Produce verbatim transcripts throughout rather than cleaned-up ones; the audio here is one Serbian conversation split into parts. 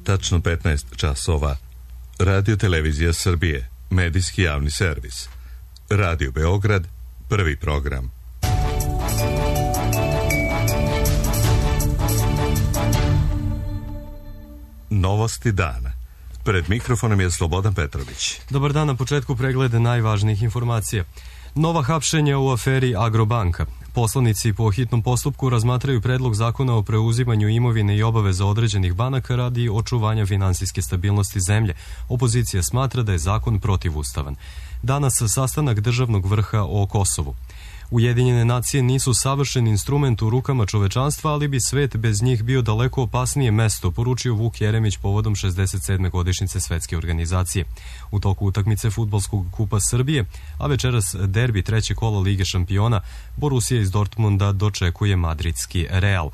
tačno petnaest časova. Radio Televizija Srbije, medijski javni servis. Radio Beograd, prvi program. Novosti dana. Pred mikrofonom je Slobodan Petrović. Dobar dan, na početku preglede najvažnijih informacija. Nova hapšenja u aferi Agrobanka. Poslanici po hitnom postupku razmatraju predlog zakona o preuzimanju imovine i obaveza određenih banaka radi očuvanja finansijske stabilnosti zemlje. Opozicija smatra da je zakon protivustavan. Danas sastanak državnog vrha o Kosovu. Ujedinjene nacije nisu savršen instrument u rukama čovečanstva, ali bi svet bez njih bio daleko opasnije mesto, poručio Vuk Jeremić povodom šezdeset sedme godišnjice svetske organizacije. U toku utakmice Fudbalskog kupa Srbije, a večeras derbi treće kola Lige šampiona, Borussia iz Dortmunda dočekuje madridski Real.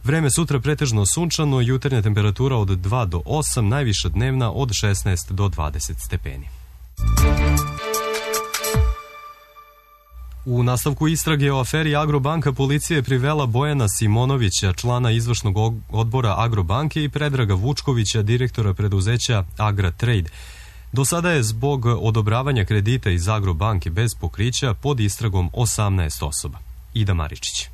Vreme sutra pretežno sunčano, jutarnja temperatura od dva do osam, najviša dnevna od šesnaest do dvadeset stepeni. U nastavku istrage o aferi Agrobanka policija je privela Bojana Simonovića, člana izvršnog odbora Agrobanke, i Predraga Vučkovića, direktora preduzeća Agratrade. Do sada je zbog odobravanja kredita iz Agrobanke bez pokrića pod istragom osamnaest osoba. Ida Maričić.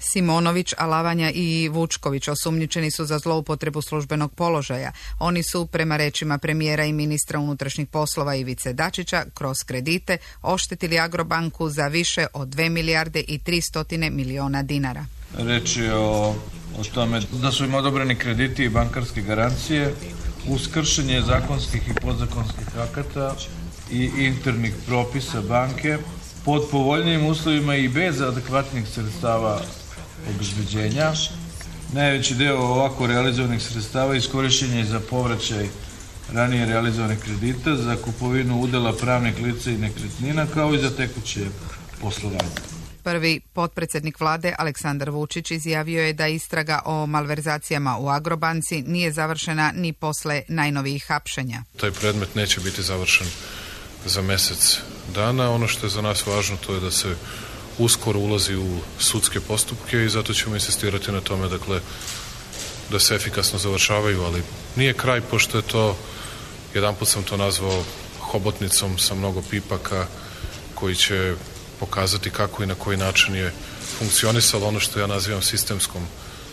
Simonović, Alavanja i Vučković osumnjičeni su za zloupotrebu službenog položaja. Oni su, prema rečima premijera i ministra unutrašnjih poslova Ivice Dačića, kroz kredite oštetili Agrobanku za više od dve milijarde i tristo miliona dinara. Reč je o, o tome da su im odobreni krediti i bankarske garancije uz kršenje zakonskih i podzakonskih akata i internih propisa banke pod povoljnijim uslovima i bez adekvatnih sredstava obezbeđenja. Najveći deo ovako realizovanih sredstava iskorišćen je za povraćaj ranije realizovanih kredita, za kupovinu udela pravnih lica i nekretnina, kao i za tekuće poslovanje. Prvi potpredsjednik vlade Aleksandar Vučić izjavio je da istraga o malverzacijama u Agrobanci nije završena ni posle najnovijih hapšenja. Taj predmet neće biti završen za mesec dana. Ono što je za nas važno to je da se uskoro ulazi u sudske postupke i zato ćemo insistirati na tome, dakle, da se efikasno završavaju, ali nije kraj, pošto je to, jedanput sam to nazvao hobotnicom sa mnogo pipaka koji će pokazati kako i na koji način je funkcionisalo ono što ja nazivam sistemskom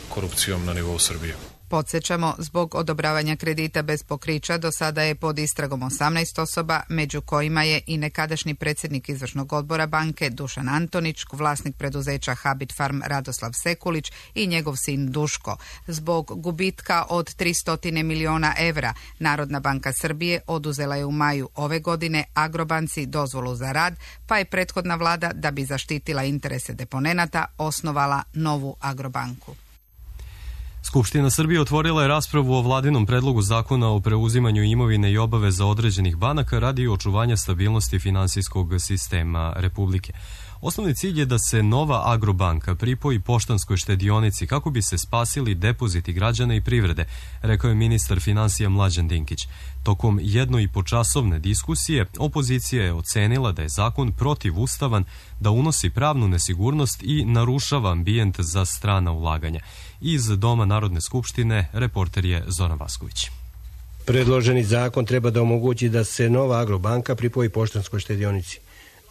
korupcijom na nivou Srbije. Podsjećamo, zbog odobravanja kredita bez pokrića do sada je pod istragom osamnaest osoba, među kojima je i nekadašnji predsjednik izvršnog odbora banke Dušan Antonić, vlasnik preduzeća Habit Farm Radoslav Sekulić i njegov sin Duško. Zbog gubitka od tristo miliona evra, Narodna banka Srbije oduzela je u maju ove godine Agrobanci dozvolu za rad, pa je prethodna vlada, da bi zaštitila interese deponenata, osnovala novu Agrobanku. Skupština Srbije otvorila je raspravu o vladinom predlogu zakona o preuzimanju imovine i obaveza određenih banaka radi očuvanja stabilnosti finansijskog sistema Republike. Osnovni cilj je da se nova Agrobanka pripoji Poštanskoj štedionici kako bi se spasili depoziti građana i privrede, rekao je ministar finansija Mlađan Dinkić. Tokom jedno i po časovne diskusije opozicija je ocenila da je zakon protivustavan, da unosi pravnu nesigurnost i narušava ambijent za strana ulaganja. Iz Doma Narodne skupštine reporter je Zoran Vasković. Predloženi zakon treba da omogući da se nova Agrobanka pripoji Poštanskoj štedionici.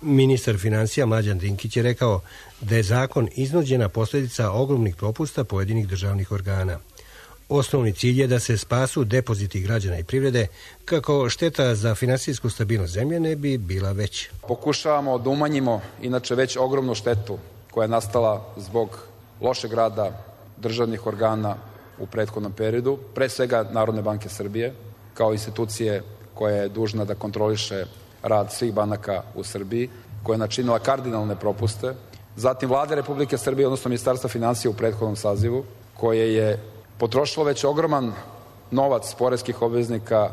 Ministar finansija Mlađan Dinkić je rekao da je zakon iznuđena posljedica ogromnih propusta pojedinih državnih organa. Osnovni cilj je da se spasu depoziti građana i privrede kako šteta za finansijsku stabilnost zemlje ne bi bila veća. Pokušavamo da umanjimo inače već ogromnu štetu koja je nastala zbog lošeg rada državnih organa u prethodnom periodu, pre svega Narodne banke Srbije, kao institucije koja je dužna da kontroliše rad svih banaka u Srbiji, koja je načinila kardinalne propuste, zatim Vlade Republike Srbije, odnosno Ministarstva finansija u prethodnom sazivu, koje je potrošilo već ogroman novac poreskih obveznika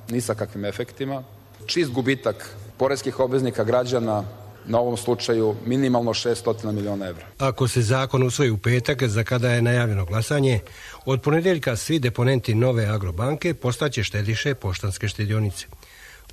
ni sa kakvim efektima, čist gubitak poreskih obveznika građana, na ovom slučaju minimalno šessto miliona evra. Ako se zakon usvoji u petak, za kada je najavljeno glasanje, od ponedeljka svi deponenti nove Agrobanke postaće štediše Poštanske štedionice.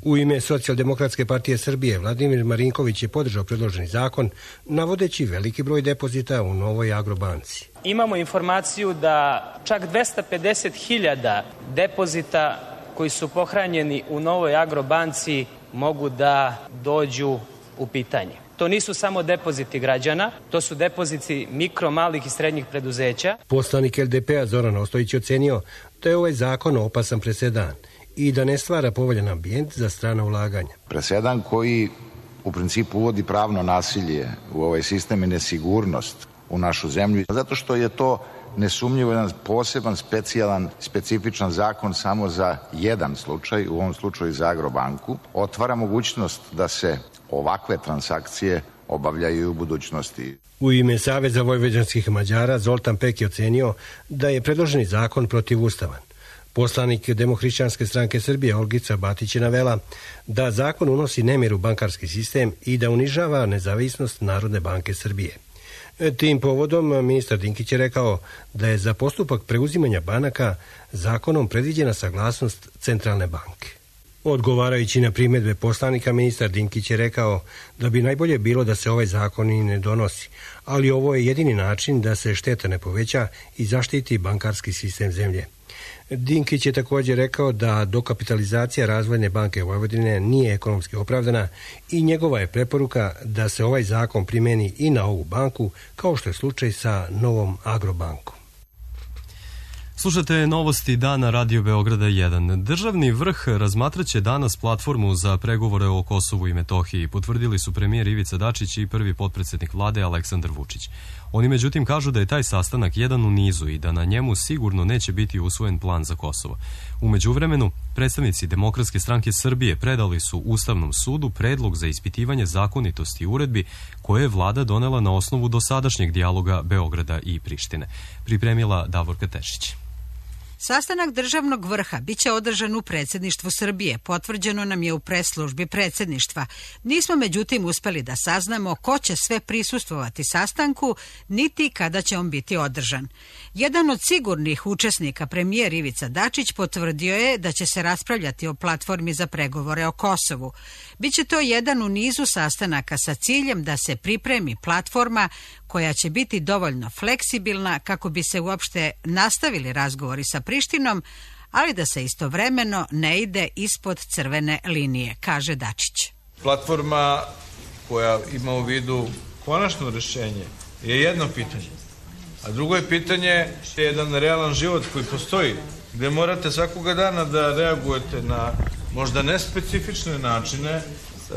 U ime Socijaldemokratske partije Srbije Vladimir Marinković je podržao predloženi zakon, navodeći veliki broj depozita u novoj Agrobanci. imamo informaciju da čak dvesta pedeset hiljada depozita koji su pohranjeni u Novoj Agrobanci mogu da dođu u pitanje. To nisu samo depoziti građana, to su depoziti mikro, malih i srednjih preduzeća. Poslanik L D P-a Zoran Ostojić ocenio da je ovaj zakon opasan presedan i da ne stvara povoljan ambijent za strana ulaganja. Presedan koji u principu uvodi pravno nasilje u ovaj sistem i nesigurnost u našu zemlju, zato što je to nesumnjivo jedan poseban, specijalan, specifičan zakon samo za jedan slučaj, u ovom slučaju za Agrobanku, otvara mogućnost da se ovakve transakcije obavljaju u budućnosti. U ime Saveza vojvođanskih Mađara Zoltan Pek je ocenio da je predloženi zakon protivustavan. Poslanik Demohrišćanske stranke Srbije Olgica Batić je navela da zakon unosi nemir u bankarski sistem i da unižava nezavisnost Narodne banke Srbije. Tim povodom ministar Dinkić je rekao da je za postupak preuzimanja banaka zakonom predviđena saglasnost Centralne banke. Odgovarajući na primjedbe poslanika, ministar Dinkić je rekao da bi najbolje bilo da se ovaj zakon i ne donosi, ali ovo je jedini način da se šteta ne poveća i zaštiti bankarski sistem zemlje. Dinkić je također rekao da dokapitalizacija Razvojne banke Vojvodine nije ekonomski opravdana i njegova je preporuka da se ovaj zakon primeni i na ovu banku, kao što je slučaj sa Novom Agrobankom. Slušate novosti dana Radio Beograda jedan. Državni vrh razmatraće danas platformu za pregovore o Kosovu i Metohiji, potvrdili su premijer Ivica Dačić i prvi potpredsjednik vlade Aleksandar Vučić. Oni međutim kažu da je taj sastanak jedan u nizu i da na njemu sigurno neće biti usvojen plan za Kosovo. U međuvremenu, predstavnici Demokratske stranke Srbije predali su Ustavnom sudu predlog za ispitivanje zakonitosti uredbi koje je vlada donela na osnovu dosadašnjeg dijaloga Beograda i Prištine. Pripremila Davorka Tešić. Sastanak državnog vrha biće održan u predsjedništvu Srbije, potvrđeno nam je u pres službi predsjedništva. Nismo međutim uspeli da saznamo ko će sve prisustvovati sastanku, niti kada će on biti održan. Jedan od sigurnih učesnika, premijer Ivica Dačić, potvrdio je da će se raspravljati o platformi za pregovore o Kosovu. Biće to jedan u nizu sastanaka sa ciljem da se pripremi platforma koja će biti dovoljno fleksibilna kako bi se uopšte nastavili razgovori sa Prištinom, ali da se istovremeno ne ide ispod crvene linije, kaže Dačić. Platforma koja ima u vidu konačno rešenje je jedno pitanje, a drugo je pitanje je jedan realan život koji postoji, gde morate svakoga dana da reagujete na možda nespecifične načine,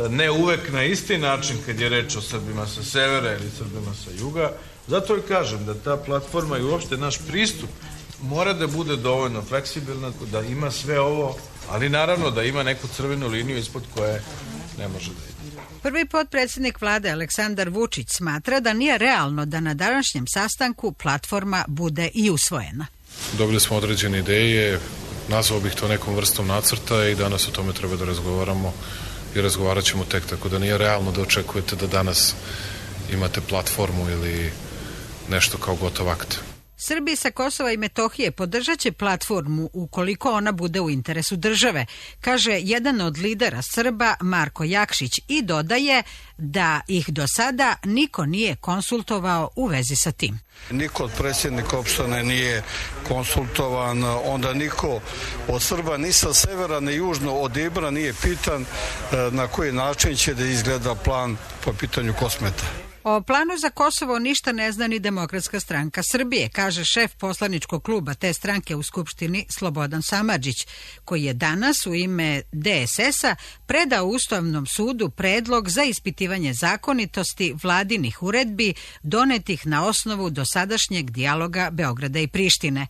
ne uvek na isti način kad je reč o Srbima sa severa ili Srbima sa juga. Zato i kažem da ta platforma i uopšte naš pristup mora da bude dovoljno fleksibilna, da ima sve ovo, ali naravno da ima neku crvenu liniju ispod koje ne može da ide. Prvi potpredsjednik vlade Aleksandar Vučić smatra da nije realno da na današnjem sastanku platforma bude i usvojena. Dobili smo određene ideje, nazvao bih to nekom vrstom nacrta i danas o tome treba da razgovaramo i razgovarat ćemo tek, tako da nije realno da očekujete da danas imate platformu ili nešto kao gotov akt. Srbi sa Kosova i Metohije podržat će platformu ukoliko ona bude u interesu države, kaže jedan od lidera Srba Marko Jakšić i dodaje da ih do sada niko nije konsultovao u vezi sa tim. Niko od predsjednika opštine nije konsultovan, onda niko od Srba ni sa severa ni južno od Ibra nije pitan na koji način će da izgleda plan po pitanju Kosmeta. O planu za Kosovo ništa ne zna ni Demokratska stranka Srbije, kaže šef poslaničkog kluba te stranke u Skupštini Slobodan Samardžić, koji je danas u ime D S S-a predao Ustavnom sudu predlog za ispitivanje zakonitosti vladinih uredbi donetih na osnovu dosadašnjeg dijaloga Beograda i Prištine.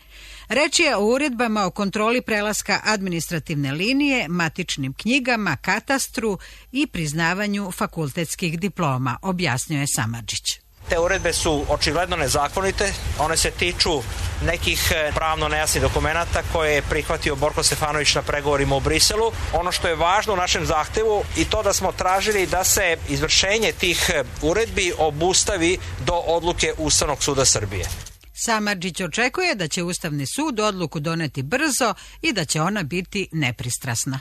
Reč je o uredbama o kontroli prelaska administrativne linije, matičnim knjigama, katastru i priznavanju fakultetskih diploma, objasnio je Samardžić. Te uredbe su očigledno nezakonite, one se tiču nekih pravno nejasnih dokumenata koje je prihvatio Borko Stefanović na pregovorima u Briselu. Ono što je važno u našem zahtevu i to da smo tražili da se izvršenje tih uredbi obustavi do odluke Ustavnog suda Srbije. Samardžić očekuje da će Ustavni sud odluku doneti brzo i da će ona biti nepristrasna.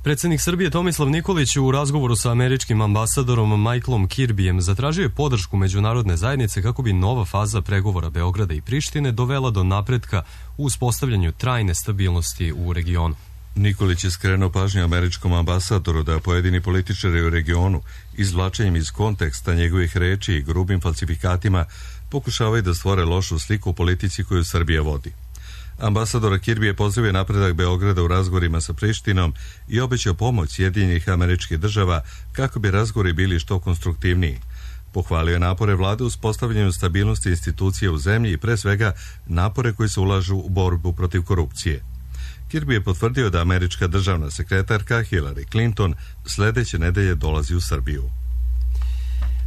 Predsjednik Srbije Tomislav Nikolić u razgovoru sa američkim ambasadorom Michaelom Kirbyjem zatražio je podršku međunarodne zajednice kako bi nova faza pregovora Beograda i Prištine dovela do napretka u uspostavljanju trajne stabilnosti u regionu. Nikolić je skrenuo pažnju američkom ambasadoru da pojedini političari u regionu izvlačenjem iz konteksta njegovih reči i grubim falsifikatima pokušavaju da stvore lošu sliku u politici koju Srbija vodi. Ambasador Kirby je pozdravio napredak Beograda u razgovorima sa Prištinom i obećao pomoć Sjedinjenih Američkih Država kako bi razgovori bili što konstruktivniji. Pohvalio je napore vlade u uspostavljanju stabilnosti institucija u zemlji i pre svega napore koji se ulažu u borbu protiv korupcije. Kirby je potvrdio da američka državna sekretarka Hillary Clinton sledeće nedelje dolazi u Srbiju.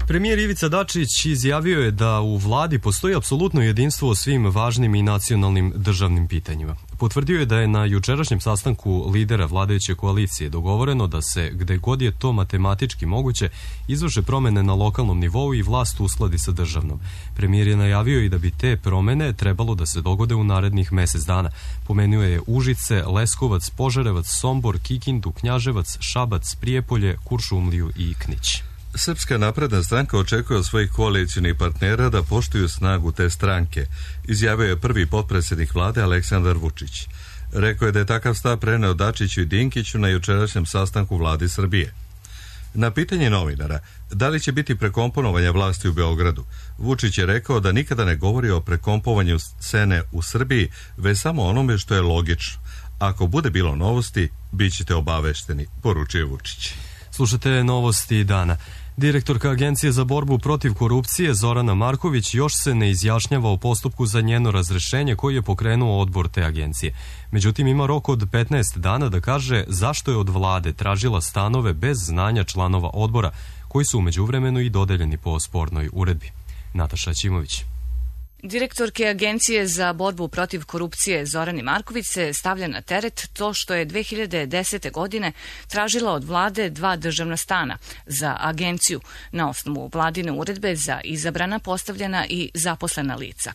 Premijer Ivica Dačić izjavio je da u vladi postoji apsolutno jedinstvo o svim važnim i nacionalnim državnim pitanjima. Potvrdio je da je na jučerašnjem sastanku lidera vladajuće koalicije dogovoreno da se, gde god je to matematički moguće, izvrše promene na lokalnom nivou i vlast uskladi sa državnom. Premijer je najavio i da bi te promene trebalo da se dogode u narednih mesec dana. Pomenuo je Užice, Leskovac, Požarevac, Sombor, Kikindu, Knjaževac, Šabac, Prijepolje, Kuršumliju i Knić. Srpska napredna stranka očekuje od svojih koalicijnih partnera da poštuju snagu te stranke, izjavio je prvi potpredsjednik vlade Aleksandar Vučić. Rekao je da je takav stav preneo Dačiću i Dinkiću na jučerašnjem sastanku vlade Srbije. Na pitanje novinara, da li će biti prekomponovanja vlasti u Beogradu, Vučić je rekao da nikada ne govori o prekompovanju scene u Srbiji, već samo onome što je logično. Ako bude bilo novosti, bit ćete obavešteni, poručio Vučić. Slušate novosti dana. Direktorka Agencije za borbu protiv korupcije Zorana Marković još se ne izjašnjava o postupku za njeno razrešenje koji je pokrenuo odbor te agencije. Međutim, ima rok od petnaest dana da kaže zašto je od vlade tražila stanove bez znanja članova odbora, koji su u međuvremenu i dodeljeni po spornoj uredbi. Nataša Ćimović. Direktorke Agencije za borbu protiv korupcije Zorani Marković se stavlja na teret to što je dve hiljade desete. godine tražila od vlade dva državna stana za agenciju na osnovu vladine uredbe za izabrana, postavljena i zaposlena lica.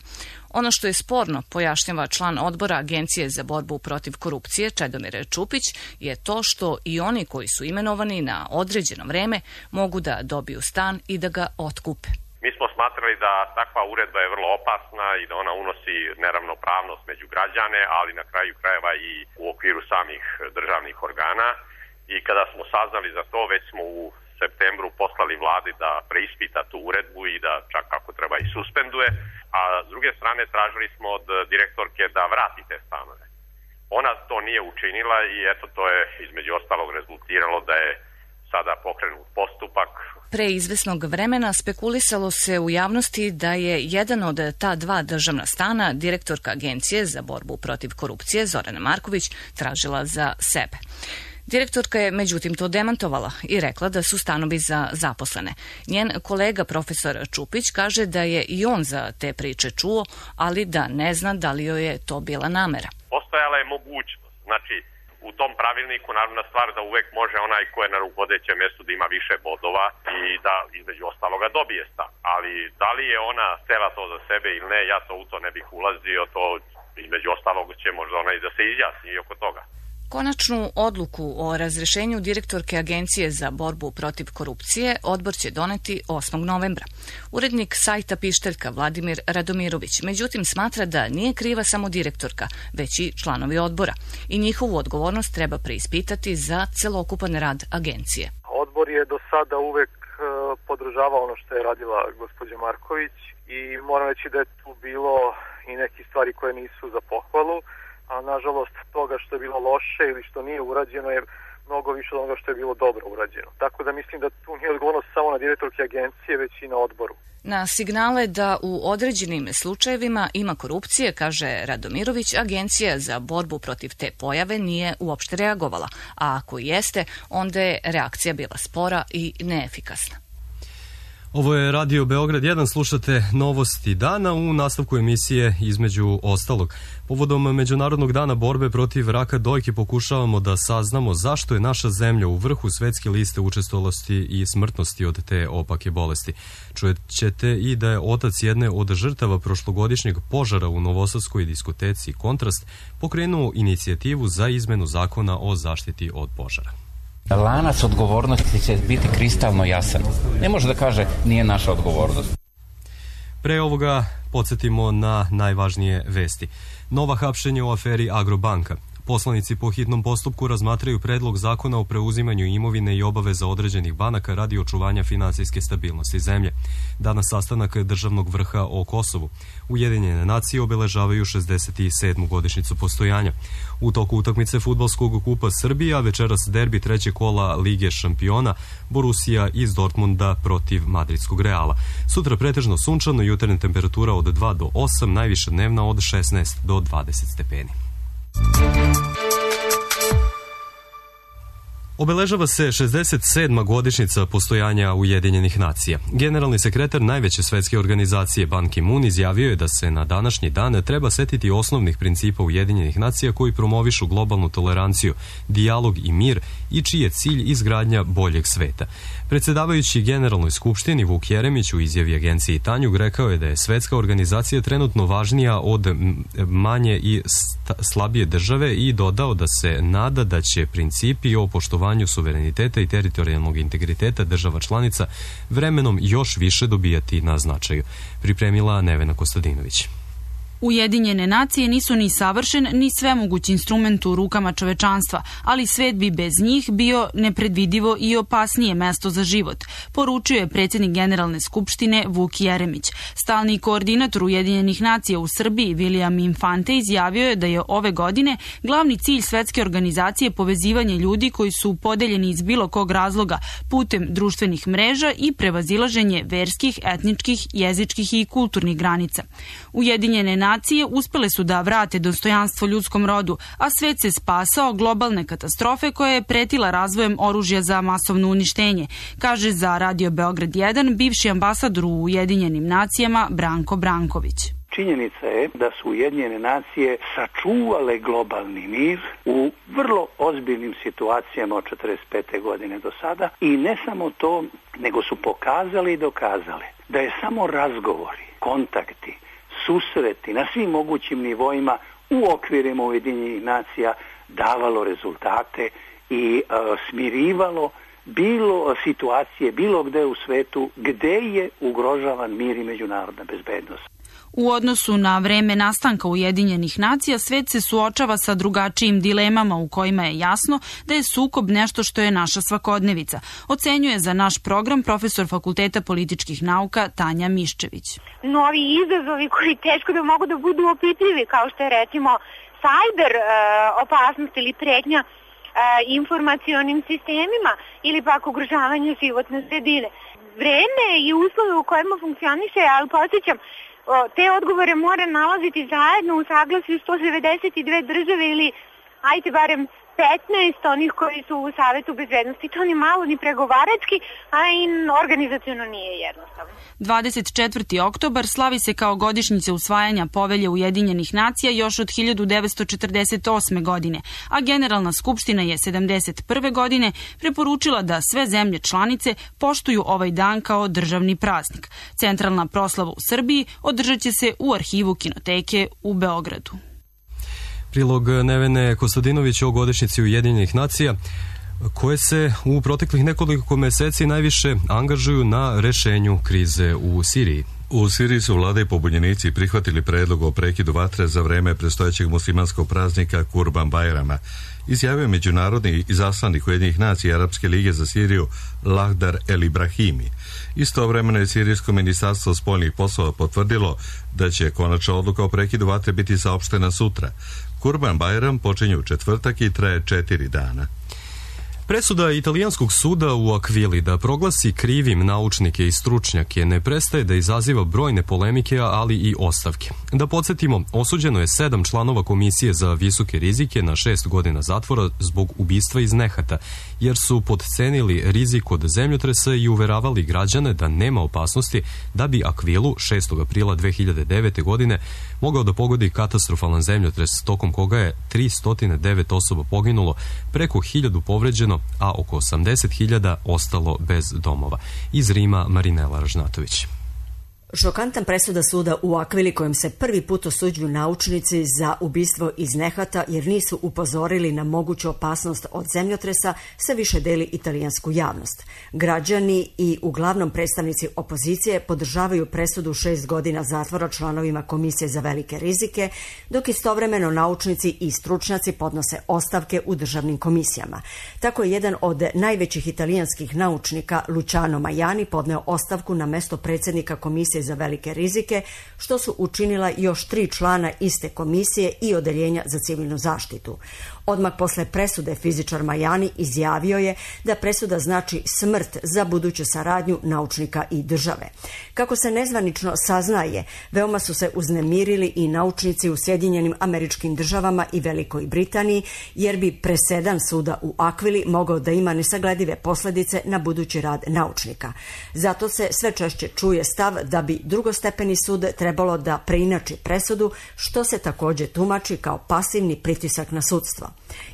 Ono što je sporno, pojašnjava član odbora Agencije za borbu protiv korupcije Čedomir Čupić, je to što i oni koji su imenovani na određeno vreme mogu da dobiju stan i da ga otkupe. Mi smo smatrali da takva uredba je vrlo opasna i da ona unosi neravnopravnost među građane, ali na kraju krajeva i u okviru samih državnih organa. I kada smo saznali za to, već smo u septembru poslali vladi da preispita tu uredbu i da čak ako treba i suspenduje, a s druge strane tražili smo od direktorke da vrati te stanove. Ona to nije učinila i eto to je između ostalog rezultiralo da je sada pokrenut postupak. Pre izvesnog vremena spekulisalo se u javnosti da je jedan od ta dva državna stana direktorka Agencije za borbu protiv korupcije Zorana Marković tražila za sebe. Direktorka je međutim to demantovala i rekla da su stanovi za zaposlene. Njen kolega profesor Čupić kaže da je i on za te priče čuo, ali da ne zna da li joj je to bila namera. Postojala je mogućnost, znači u tom pravilniku naravna stvar da uvek može onaj ko je na rukovodećem mjestu da ima više bodova i da između ostaloga dobije stan. Ali da li je ona htela to za sebe ili ne, ja to u to ne bih ulazio, to između ostalog će možda ona i da se izjasni i oko toga. Konačnu odluku o razrešenju direktorke Agencije za borbu protiv korupcije odbor će doneti osmog novembra. Urednik sajta Pišteljka Vladimir Radomirović međutim smatra da nije kriva samo direktorka, već i članovi odbora i njihovu odgovornost treba preispitati za celokupan rad agencije. Odbor je do sada uvek podržavao ono što je radila gospođa Marković i moram reći da je tu bilo i neke stvari koje nisu za pohvalu, a nažalost toga što je bilo loše ili što nije urađeno je mnogo više od onoga što je bilo dobro urađeno. Tako da mislim da tu nije odgovornost samo na direktorke agencije, već i na odboru. Na signale da u određenim slučajevima ima korupcije, kaže Radomirović, Agencija za borbu protiv te pojave nije uopšte reagovala, a ako jeste, onda je reakcija bila spora i neefikasna. Ovo je Radio Beograd jedan, slušate novosti dana u nastavku emisije između ostalog. Povodom Međunarodnog dana borbe protiv raka dojke pokušavamo da saznamo zašto je naša zemlja u vrhu svetske liste učestalosti i smrtnosti od te opake bolesti. Čujet ćete i da je otac jedne od žrtava prošlogodišnjeg požara u novosadskoj diskoteci Kontrast pokrenuo inicijativu za izmenu zakona o zaštiti od požara. Lanac odgovornosti će biti kristalno jasan. Ne može da kaže nije naša odgovornost. Pre ovoga podsjetimo na najvažnije vesti. Nova hapšenja u aferi Agrobanka. Poslanici po hitnom postupku razmatraju predlog zakona o preuzimanju imovine i obaveza određenih banaka radi očuvanja finansijske stabilnosti zemlje. Danas sastanak državnog vrha o Kosovu. Ujedinjene nacije obeležavaju šezdeset sedmu godišnjicu postojanja. U toku utakmice fudbalskog kupa Srbija, večeras derbi trećeg kola Lige šampiona, Borussia iz Dortmunda protiv madridskog Reala. Sutra pretežno sunčano, jutarnja temperatura od dva do osam, najviša dnevna od šesnaest do dvadeset stepeni. Obeležava se šezdeset sedma godišnjica postojanja Ujedinjenih nacija. Generalni sekretar najveće svetske organizacije Ban Ki-moon izjavio je da se na današnji dan treba setiti osnovnih principa Ujedinjenih nacija koji promovišu globalnu toleranciju, dijalog i mir i čiji je cilj izgradnja boljeg sveta. Predsedavajući Generalnoj skupštini Vuk Jeremić u izjavi agenciji Tanjug rekao je da je svetska organizacija trenutno važnija od manje i slabije države i dodao da se nada da će principi o poštovanju suvereniteta i teritorijalnog integriteta država članica vremenom još više dobijati na značaju. Pripremila Nevena Kostadinović. Ujedinjene nacije nisu ni savršen, ni svemoguć instrument u rukama čovečanstva, ali svet bi bez njih bio nepredvidivo i opasnije mesto za život, poručio je predsjednik Generalne skupštine Vuk Jeremić. Stalni koordinator Ujedinjenih nacija u Srbiji William Infante izjavio je da je ove godine glavni cilj svetske organizacije povezivanje ljudi koji su podeljeni iz bilo kog razloga putem društvenih mreža i prevazilaženje verskih, etničkih, jezičkih i kulturnih granica. Ujedinjene nacije uspele su da vrate dostojanstvo ljudskom rodu, a svet se spasao globalne katastrofe koja je pretila razvojem oružja za masovno uništenje, kaže za Radio Beograd jedan bivši ambasador u Ujedinjenim nacijama Branko Branković. Činjenica je da su Ujedinjene nacije sačuvale globalni mir u vrlo ozbiljnim situacijama od četrdeset pete godine do sada i ne samo to, nego su pokazali i dokazali da je samo razgovori, kontakti, susreti na svim mogućim nivoima u okvirima Ujedinjenih nacija davalo rezultate i e, smirivalo bilo situacije, bilo gde u svetu gde je ugrožavan mir i međunarodna bezbednost. U odnosu na vreme nastanka Ujedinjenih nacija, svet se suočava sa drugačijim dilemama u kojima je jasno da je sukob nešto što je naša svakodnevica, ocenjuje za naš program profesor Fakulteta političkih nauka Tanja Miščević. Novi izazovi koji teško da mogu da budu opipljivi, kao što je recimo sajber e, opasnost ili pretnja e, informacionim sistemima ili pak ugrožavanje životne sredine. Vreme i uslove u kojima funkcioniše, ali podsjećam, te odgovore mora nalaziti zajedno u saglasju sto devedeset dve države ili, ajte barem, petnaest onih koji su u Savetu bezbednosti. To ni malo, ni pregovarački, a i organizaciono nije jednostavno. dvadeset četvrti oktobar slavi se kao godišnjica usvajanja Povelje Ujedinjenih nacija još od hiljadu devetsto četrdeset osme. godine, a Generalna skupština je sedamdeset prve. godine preporučila da sve zemlje članice poštuju ovaj dan kao državni praznik. Centralna proslava u Srbiji održat će se u arhivu Kinoteke u Beogradu. Prilog Nevene Kostadinović o godišnjici Ujedinjenih nacija, koje se u proteklih nekoliko meseci najviše angažuju na rešenju krize u Siriji. U Siriji su vlada i pobunjenici prihvatili predlog o prekidu vatre za vreme predstojećeg muslimanskog praznika Kurban Bajrama, izjavio međunarodni izaslanik Ujedinjenih nacija i Arapske lige za Siriju Lahdar El Ibrahimi. Istovremeno je Sirijsko ministarstvo spoljnih poslova potvrdilo da će konačna odluka o prekidu vatre biti saopštena sutra. Kurban Bajram počinje u četvrtak i traje četiri dana. Presuda italijanskog suda u Akvili da proglasi krivim naučnike i stručnjake ne prestaje da izaziva brojne polemike, ali i ostavke. Da podsjetimo, osuđeno je sedam članova komisije za visoke rizike na šest godina zatvora zbog ubistva iz nehata, jer su podcenili rizik od zemljotresa i uveravali građane da nema opasnosti da bi Akvilu šestog aprila dve hiljade devete. godine mogao da pogodi katastrofalan zemljotres tokom koga je tristo devet osoba poginulo, preko hiljadu povređeno, a oko osamdeset hiljada ostalo bez domova. Iz Rima Marinela Ražnatović. Šokantan presuda suda u Akvili kojom se prvi put osuđuju naučnici za ubistvo iz nehata jer nisu upozorili na moguću opasnost od zemljotresa se više deli italijansku javnost. Građani i uglavnom predstavnici opozicije podržavaju presudu šest godina zatvora članovima Komisije za velike rizike, dok istovremeno naučnici i stručnjaci podnose ostavke u državnim komisijama. Tako je jedan od najvećih italijanskih naučnika, Luciano Majani, podneo ostavku na mesto predsjednika Komisije za velike rizike, što su učinila još tri člana iste komisije i odeljenja za civilnu zaštitu. Odmah posle presude fizičar Majani izjavio je da presuda znači smrt za buduću saradnju naučnika i države. Kako se nezvanično saznaje, veoma su se uznemirili i naučnici u Sjedinjenim Američkim Državama i Velikoj Britaniji, jer bi presedan suda u Akvili mogao da ima nesagledive posljedice na budući rad naučnika. Zato se sve češće čuje stav da bi drugostepeni sud trebalo da preinači presudu, što se također tumači kao pasivni pritisak na sudstvo.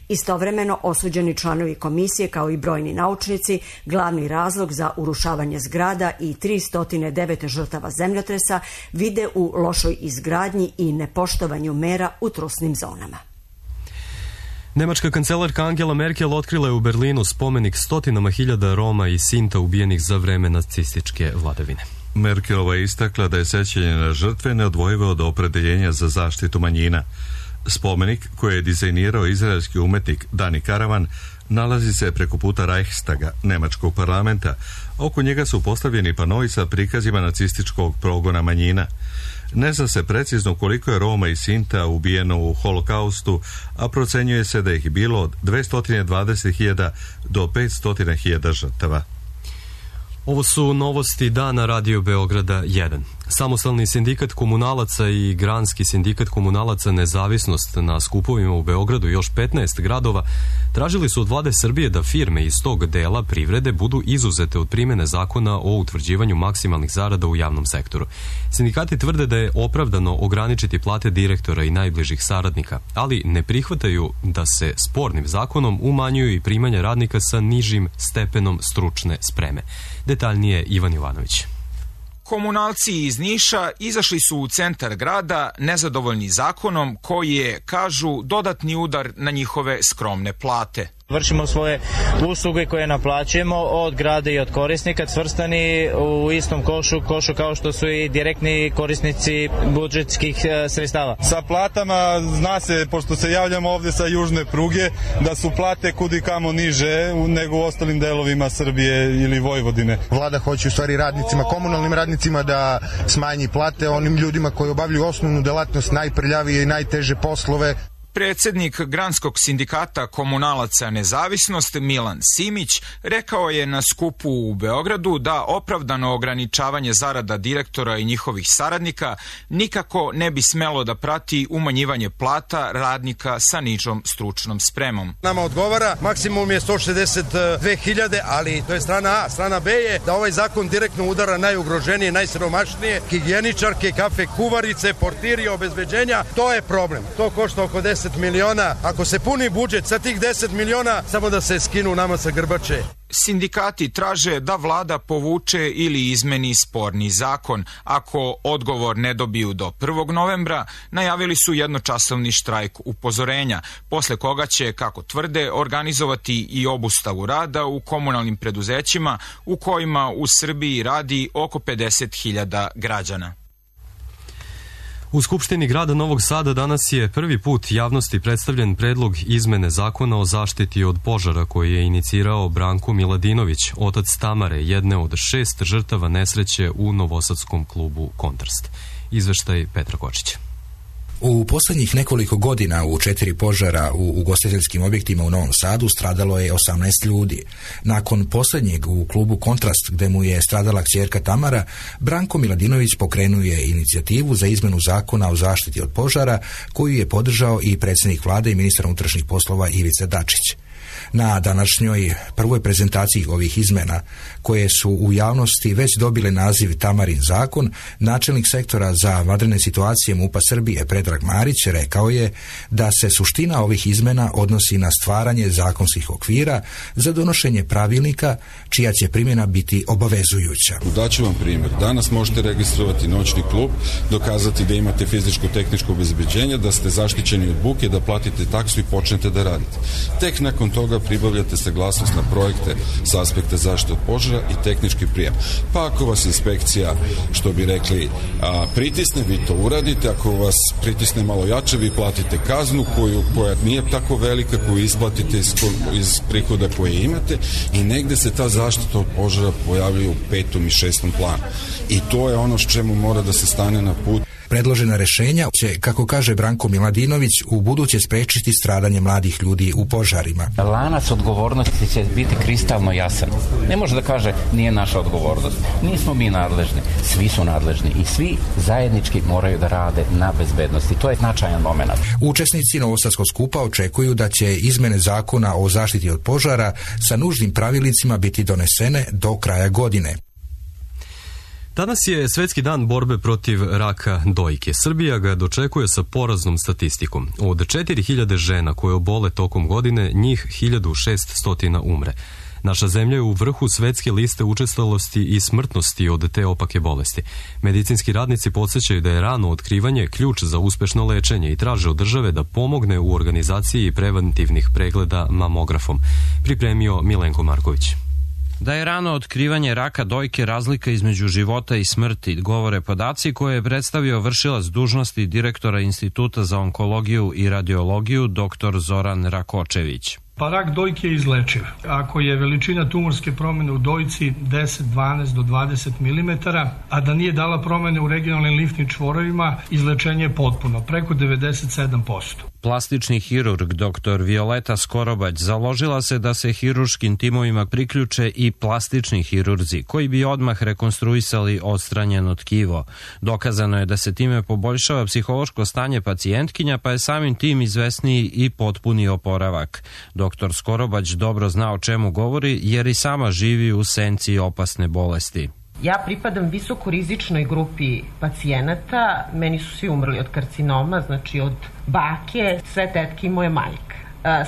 Istovremeno, osuđeni članovi komisije kao i brojni naučnici glavni razlog za urušavanje zgrada i tristo devet žrtava zemljotresa vide u lošoj izgradnji i nepoštovanju mera u trusnim zonama. Nemačka kancelarka Angela Merkel otkrila je u Berlinu spomenik stotinama hiljada Roma i Sinta ubijenih za vreme nacističke vladavine. Merkelova je istakla da je sećanje na žrtve neodvojivo od opredeljenja za zaštitu manjina. Spomenik, koji je dizajnirao izraelski umetnik Dani Karavan, nalazi se preko puta Reichstaga, nemačkog parlamenta. Oko njega su postavljeni panoi sa prikazima nacističkog progona manjina. Ne zna se precizno koliko je Roma i Sinta ubijeno u holokaustu, a procenjuje se da ih je bilo od dvesta dvadeset hiljada do petsto hiljada žrtava. Ovo su novosti dana Radio Beograda jedan. Samostalni sindikat komunalaca i Granski sindikat komunalaca Nezavisnost na skupovima u Beogradu i još petnaest gradova tražili su od vlade Srbije da firme iz tog dela privrede budu izuzete od primjene zakona o utvrđivanju maksimalnih zarada u javnom sektoru. Sindikati tvrde da je opravdano ograničiti plate direktora i najbližih saradnika, ali ne prihvataju da se spornim zakonom umanjuju i primanja radnika sa nižim stepenom stručne spreme. Detaljnije Ivan Jovanović. Komunalci iz Niša izašli su u centar grada nezadovoljni zakonom koji je, kažu, dodatni udar na njihove skromne plate. Vršimo svoje usluge koje naplaćujemo od grada i od korisnika, svrstani u istom košu, košu kao što su i direktni korisnici budžetskih sredstava. Sa platama, zna se, pošto se javljamo ovdje sa južne pruge, da su plate kudi kamo niže nego u ostalim delovima Srbije ili Vojvodine. Vlada hoće u stvari radnicima, komunalnim radnicima da smanji plate onim ljudima koji obavljaju osnovnu delatnost, najprljavije i najteže poslove. Predsjednik Granskog sindikata komunalaca Nezavisnost Milan Simić rekao je na skupu u Beogradu da opravdano ograničavanje zarada direktora i njihovih saradnika nikako ne bi smelo da prati umanjivanje plata radnika sa nižom stručnom spremom. Nama odgovara, maksimum je sto šezdeset dve hiljade, ali to je strana A. Strana B je da ovaj zakon direktno udara najugroženije, najsiromašnije, higijeničarke, kafe kuvarice, portiri, obezbeđenja. To je problem. To košta oko deset miliona. Ako se puni budžet sa tih deset miliona, samo da se skinu nama sa grbače. Sindikati traže da vlada povuče ili izmeni sporni zakon. Ako odgovor ne dobiju do prvog novembra, najavili su jednočasovni štrajk upozorenja, posle koga će, kako tvrde, organizovati i obustavu rada u komunalnim preduzećima u kojima u Srbiji radi oko pedeset hiljada građana. U Skupštini grada Novog Sada danas je prvi put javnosti predstavljen predlog izmene zakona o zaštiti od požara koji je inicirao Branko Miladinović, otac Tamare, jedne od šest žrtava nesreće u novosadskom klubu Kontrast. Izveštaj Petra Kočića. U posljednjih nekoliko godina u četiri požara u ugostiteljskim objektima u Novom Sadu stradalo je osamnaest ljudi. Nakon posljednjeg u klubu Kontrast, gde mu je stradala kćerka Tamara, Branko Miladinović pokrenuo je inicijativu za izmenu zakona o zaštiti od požara, koju je podržao i predsjednik vlade i ministar unutrašnjih poslova Ivica Dačić. Na današnjoj prvoj prezentaciji ovih izmena, koje su u javnosti već dobile naziv Tamarin zakon, načelnik sektora za vanredne situacije MUP-a Srbije Predrag Marić rekao je da se suština ovih izmena odnosi na stvaranje zakonskih okvira za donošenje pravilnika čija će primjena biti obavezujuća. Daću vam primjer. Danas možete registrovati noćni klub, dokazati da imate fizičko-tehničko obezbeđenje, da ste zaštićeni od buke, da platite taksu i počnete da radite. Tek nakon toga pribavljate saglasnost na projekte sa aspekta zaštite od požara i tehnički prijem. Pa ako vas inspekcija, što bi rekli, a, pritisne, vi to uradite. Ako vas pritisne malo jače, vi platite kaznu koju, koja nije tako velika, koju isplatite iz, iz prihoda koje imate i negde se ta zaštita od požara pojavljuje u petom i šestom planu. I to je ono s čemu mora da se stane na put. Predložena rešenja će, kako kaže Branko Miladinović, u buduće sprečiti stradanje mladih ljudi u požarima. Lanac odgovornosti će biti kristalno jasan. Ne može da kaže nije naša odgovornost. Nismo mi nadležni. Svi su nadležni i svi zajednički moraju da rade na bezbednosti. To je značajan moment. Učesnici Novosadskog skupa očekuju da će izmene zakona o zaštiti od požara sa nužnim pravilnicima biti donesene do kraja godine. Danas je Svetski dan borbe protiv raka dojke. Srbija ga dočekuje sa poraznom statistikom. Od četiri hiljade žena koje obole tokom godine, njih hiljadu šessto umre. Naša zemlja je u vrhu svetske liste učestalosti i smrtnosti od te opake bolesti. Medicinski radnici podsjećaju da je rano otkrivanje ključ za uspešno lečenje i traže od države da pomogne u organizaciji preventivnih pregleda mamografom. Pripremio Milenko Marković. Da je rano otkrivanje raka dojke razlika između života i smrti, govore podaci koje je predstavio vršilac dužnosti direktora Instituta za onkologiju i radiologiju dr. Zoran Rakočević. Pa rak dojke je izlečiv. Ako je veličina tumorske promene u dojci deset, dvanaest do dvadeset milimetara, a da nije dala promene u regionalnim limfnim čvorovima, izlečenje je potpuno, preko devedeset sedam posto. Plastični hirurg dr. Violeta Skorobać založila se da se hiruškim timovima priključe i plastični hirurzi, koji bi odmah rekonstruisali odstranjeno tkivo. Dokazano je da se time poboljšava psihološko stanje pacijentkinja, pa je samim tim izvesniji i potpuni oporavak. Doktor Skorobać dobro zna o čemu govori, jer i sama živi u senci opasne bolesti. Ja pripadam visokorizičnoj grupi pacijenata, meni su svi umrli od karcinoma, znači od bake, sve tetke i moje majke.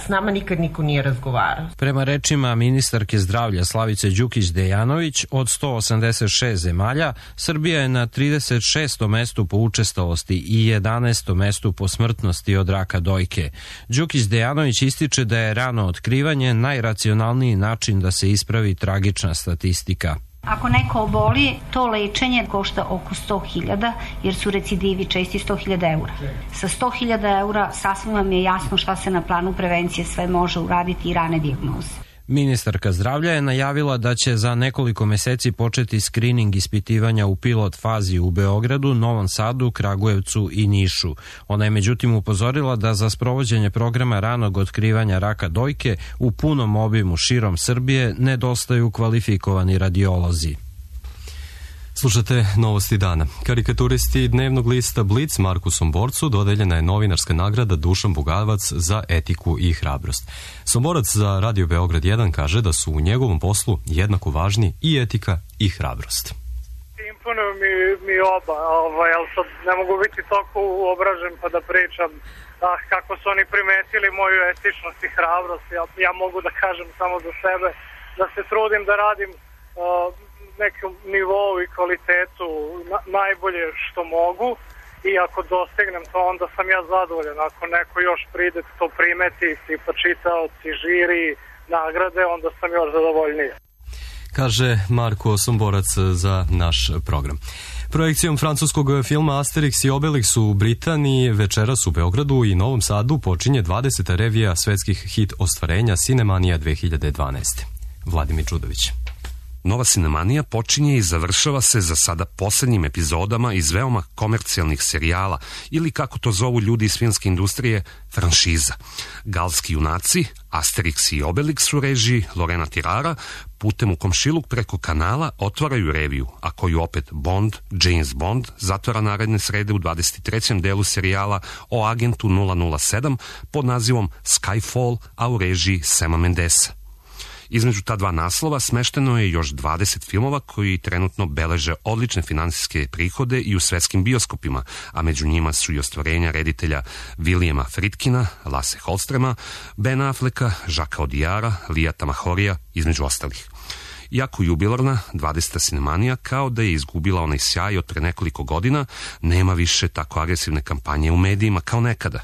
S nama nikad niko nije razgovarao. Prema rečima ministarke zdravlja Slavice Đukić-Dejanović, od sto osamdeset šest zemalja, Srbija je na trideset šestom mestu po učestalosti i jedanaestom mestu po smrtnosti od raka dojke. Đukić-Dejanović ističe da je rano otkrivanje najracionalniji način da se ispravi tragična statistika. Ako neko oboli, to lečenje košta oko sto hiljada, jer su recidivi česti sto hiljada eura. Sa sto hiljada eura sasvim vam je jasno šta se na planu prevencije sve može uraditi i rane dijagnoze. Ministarka zdravlja je najavila da će za nekoliko meseci početi skrining ispitivanja u pilot fazi u Beogradu, Novom Sadu, Kragujevcu i Nišu. Ona je međutim upozorila da za sprovođenje programa ranog otkrivanja raka dojke u punom obimu širom Srbije nedostaju kvalifikovani radiolozi. Slušate Novosti dana. Karikaturisti dnevnog lista Blic Marku Somborcu dodeljena je novinarska nagrada Dušan Bugavac za etiku i hrabrost. Somborac za Radio Beograd jedan kaže da su u njegovom poslu jednako važni i etika i hrabrost. Imponuju mi, mi oba, ovaj, ali sad ne mogu biti toliko uobražen pa da pričam ah, kako su oni primetili moju etičnost i hrabrost. Ja, ja mogu da kažem samo za sebe da se trudim da radim uh, nekom nivou i kvalitetu na, najbolje što mogu i ako dostignem to, onda sam ja zadovoljan. Ako neko još pride to primeti, tipa čitaoci, žiri, nagrade, onda sam još zadovoljniji. Kaže Marko Somborac za naš program. Projekcijom francuskog filma Asterix i Obelix u Britaniji večeras u Beogradu i Novom Sadu počinje dvadeseta revija svetskih hit ostvarenja Cinemanija dve hiljade dvanaeste. Vladimir Čudović. Nova Sinemanija počinje i završava se za sada posljednjim epizodama iz veoma komercijalnih serijala ili, kako to zovu ljudi iz filmske industrije, franšiza. Galski junaci, Asterix i Obelix u režiji Lorena Tirara putem u komšiluk preko kanala otvaraju reviju, a koju opet Bond, James Bond, zatvara naredne srede u dvadeset trećem delu serijala o agentu nula nula sedam pod nazivom Skyfall, a u režiji Sama Mendesa. Između ta dva naslova smešteno je još dvadeset filmova koji trenutno beleže odlične finansijske prihode i u svetskim bioskopima, a među njima su i ostvarenja reditelja Williama Friedkina, Lasse Hallstrema, Ben Afflecka, Jacquesa Audiara, Lijata Mahorija, između ostalih. Iako jubilarna, dvadeseta Sinemanija, kao da je izgubila onaj sjaj od pre nekoliko godina, nema više tako agresivne kampanje u medijima kao nekada.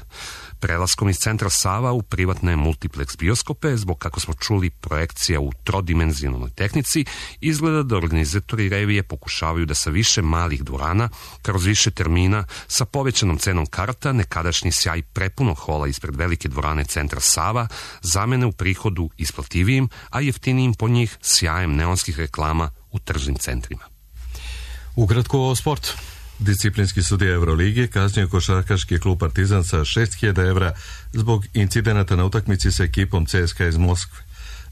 Prelaskom iz centra Sava u privatne multiplex bioskope, zbog, kako smo čuli, projekcija u trodimenzionalnoj tehnici, izgleda da organizatori revije pokušavaju da sa više malih dvorana, kroz više termina, sa povećanom cenom karta, nekadašnji sjaj prepunog hola ispred velike dvorane centra Sava zamene u prihodu isplativijim, a jeftinijim po njih sjajem neonskih reklama u tržnim centrima. Ukratko o sportu. Disciplinski sudija Evrolige kaznio košarkaški klub Partizan sa šest hiljada evra zbog incidenata na utakmici sa ekipom C S K A iz Moskve.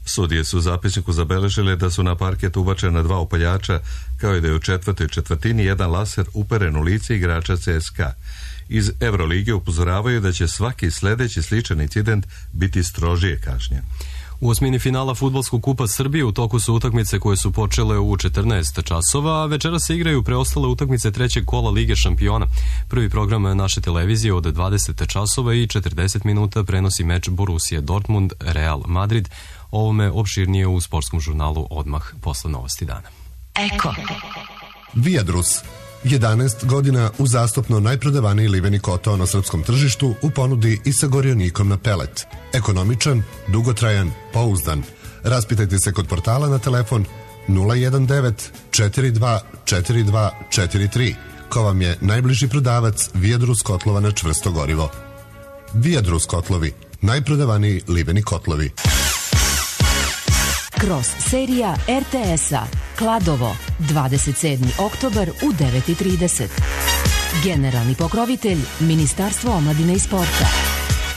Sudije su u zapisniku zabeležile da su na parket ubačena dva upaljača, kao i da je u četvrtoj četvrtini jedan laser uperen u lice igrača C S K A. Iz Evrolige upozoravaju da će svaki sledeći sličan incident biti strožije kažnjen. U osmini finala Fudbalskog kupa Srbije u toku su utakmice koje su počele u četrnaest časova, a večera se igraju preostale utakmice trećeg kola Lige šampiona. Prvi program naše televizije od dvadeset časova i četrdeset minuta prenosi meč Borussia Dortmund Real Madrid. Ovome opširnije u sportskom žurnalu odmah posle novosti dana. Eko. Viadrus. jedanaest godina uzastopno najprodavaniji liveni kotao na srpskom tržištu u ponudi i sa gorionikom na pelet. Ekonomičan, dugotrajan, pouzdan. Raspitajte se kod portala na telefon nula jedan devet četiri dva četiri dva četiri tri, ko vam je najbliži prodavac Viadrus kotlova na čvrsto gorivo. Viadrus kotlovi, najprodavaniji liveni kotlovi. Kroz serija R T S-a Kladovo, dvadeset sedmi oktobar u devet i trideset. Generalni pokrovitelj Ministarstvo omladine i sporta.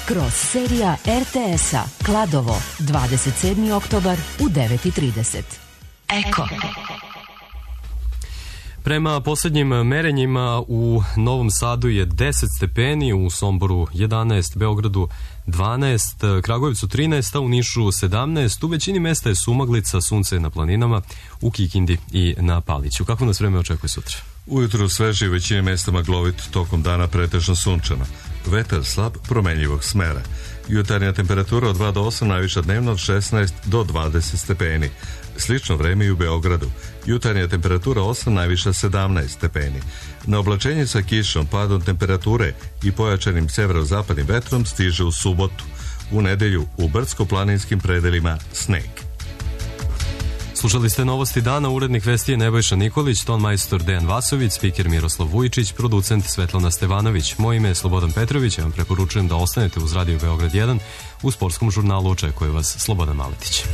Kroz serija R T S-a Kladovo, dvadeset sedmi oktobar u devet i trideset. Eko. Prema posljednjim merenjima u Novom Sadu je deset stepeni, u Somboru jedanaest, Beogradu dvanaest, Kragujevcu trinaest, a u Nišu sedamnaest. U većini mesta je sumaglica, sunce na planinama, u Kikindi i na Paliću. Kako nas vreme očekuje sutra? Ujutru sveže i većini mesta maglovit, tokom dana pretežno sunčano. Vetar slab, promenljivog smera. Jutarnja temperatura od dva do osam, najviša dnevno od šesnaest do dvadeset stepeni. Slično vreme i u Beogradu. Jutarnja temperatura osam, najviša sedamnaest stepeni. Na oblačenje sa kišom, padom temperature i pojačanim severozapadnim vetrom stiže u subotu. U nedelju u brdsko-planinskim predelima sneg. Slušali ste novosti dana, urednik vesti je Nebojša Nikolić, ton majstor Dejan Vasović, spiker Miroslav Vujičić, producent Svetlana Stevanović. Moje ime je Slobodan Petrović, ja vam preporučujem da ostanete uz Radio Beograd jedan. U sportskom žurnalu očekuje vas Slobodan Maletić.